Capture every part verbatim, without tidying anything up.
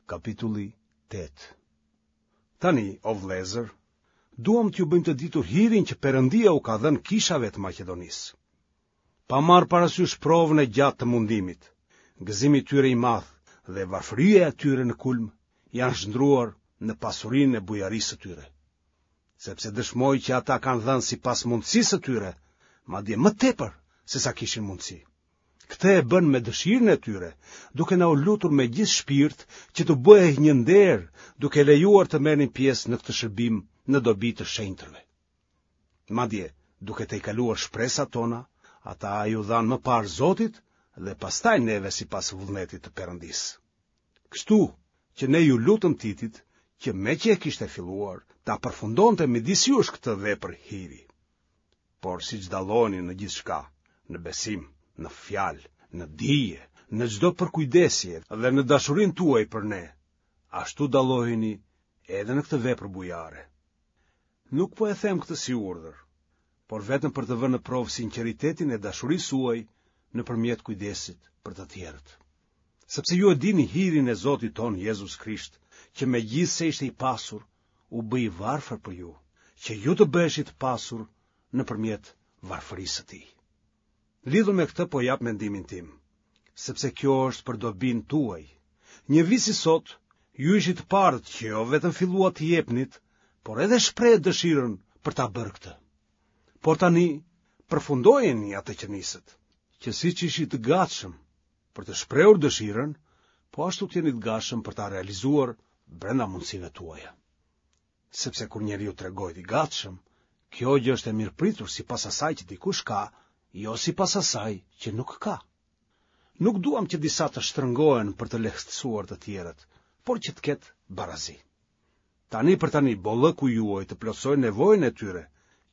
Kapitulli tetë. Tani, o vëllezër, duam t'ju bëjmë të ditur hirin që Perëndia u ka dhënë kishave të Maqedonisë. Pa marrë parasysh provën e gjatë të mundimit, gëzimi i tyre i madh dhe varfëria e tyre në kulm janë shndërruar në pasurinë e bujarisë së tyre. Sepse dëshmoj që ata kanë dhënë sipas mundësisë së tyre, madje më tepër se sa kishin mundësi. Këtë e bënë me dëshirën e tyre, duke na u lutur me gjithë shpirt që t'u bëhej një nder, duke lejuar të merrnin pjesë në këtë shërbim në dobi të shenjtërve. Madje, duke tejkaluar shpresat tona, ata iu dhanë më parë Zotit dhe pastaj neve sipas vullnetit të Perëndisë. Kështu që ne iu lutëm Titit që meqë e kishte filluar, ta përfundonte midis jush këtë vepër hiri. Por siç dalloheni në gjithçka, në besim, në fjalë, në dije, në çdo përkujdesje dhe në dashurinë tuaj për ne, ashtu dalloheni edhe në këtë vepër bujare. Nuk po e them këtë si urdhër, por vetëm për të vënë në provë sinqeritetin e dashurisë suaj nëpërmjet kujdesit për të tjerët. Sepse ju e dini hirin e Zotit tonë Jezus Krisht, që megjithëse ishte i pasur, u bë i varfër për ju, që ju të bëheshit të pasur nëpërmjet varfërisë së tij. Lidhur me këtë po jap mendimin tim, sepse kjo është për dobinë tuaj. Një vit si sot, ju ishit të parët që jo vetëm filluat të jepnit, por edhe shprehët dëshirën për ta bërë këtë. Por tani, përfundojeni atë që nisët, që siç ishit të gatshëm për të shprehur dëshirën, po ashtu të jeni të gatshëm për ta realizuar brenda mundësive tuaja. Sepse kur njeriu tregohet i gatshëm, kjo gjë është e mirëpritur sipas asaj që dikush ka, jo sipas asaj që nuk ka. Nuk duam që disa të shtrëngohen për të lehtësuar të tjerët, por që të ketë barazi. Tani për tani bollëku juaj të plotësojë nevojën e tyre,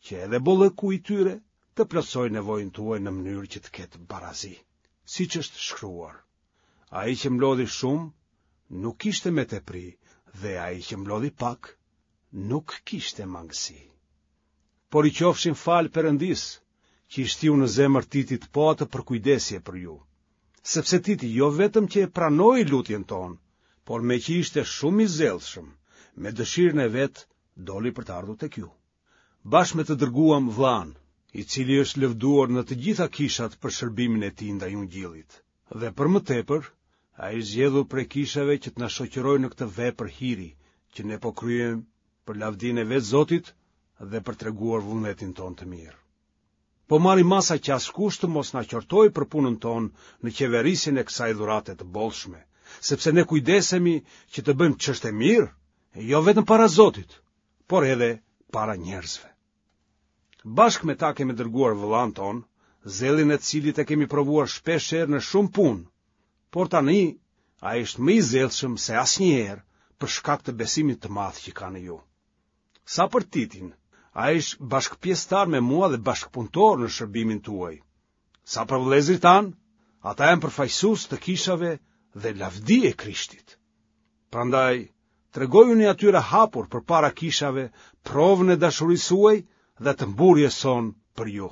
që edhe bollëku i tyre të plotësojë nevojën tuaj në mënyrë që të ketë barazi, siç është shkruar. Ai që mblodhi shumë nuk kishte me tepri dhe ai që mblodhi pak nuk kishte mangësi. Por i qofshin falë Perëndisë, që i shtiu në zemër Titit po atë përkujdesje për ju. Sepse Titi jo vetëm që e pranoi lutjen tonë, por meqë ishte shumë i zellshëm, me dëshirën e vet doli për të ardhur tek ju. Bashkë me të dërguam vëllanë, i cili është lëvduar në të gjitha kishat për shërbimin e tij ndaj Ungjillit. Dhe për më tepër, ai është zgjedhur prej kishave që të na shoqërojë në këtë vepër hiri, që ne po kryejmë për lavdinë e vetë Zotit dhe për treguar vullnetin tonë të mirë. Po marrim masa që askush të mos na qortojë për punën tonë në qeverisjen e kësaj dhurate të bollshme, sepse ne kujdesemi që të bëjmë ç'është e mirë, jo vetëm para Zotit, por edhe para njerëzve. Bashkë me ta kemi dërguar vëllanë tonë, zellin e të cilit e kemi provuar shpesh herë në shumë punë, por tani ai është më i zellshëm se asnjëherë për shkak të besimit të madh që ka në ju. Sa për Titin, ai është bashkëpjesëtar me mua dhe bashkëpunëtor në shërbimin tuaj. Sa për vëllezërit tanë, ata janë përfaqësues të kishave dhe lavdi e Krishtit. Prandaj, tregojuni atyre hapur përpara kishave provën e dashurisë suaj dhe të mburrjes sonë për ju.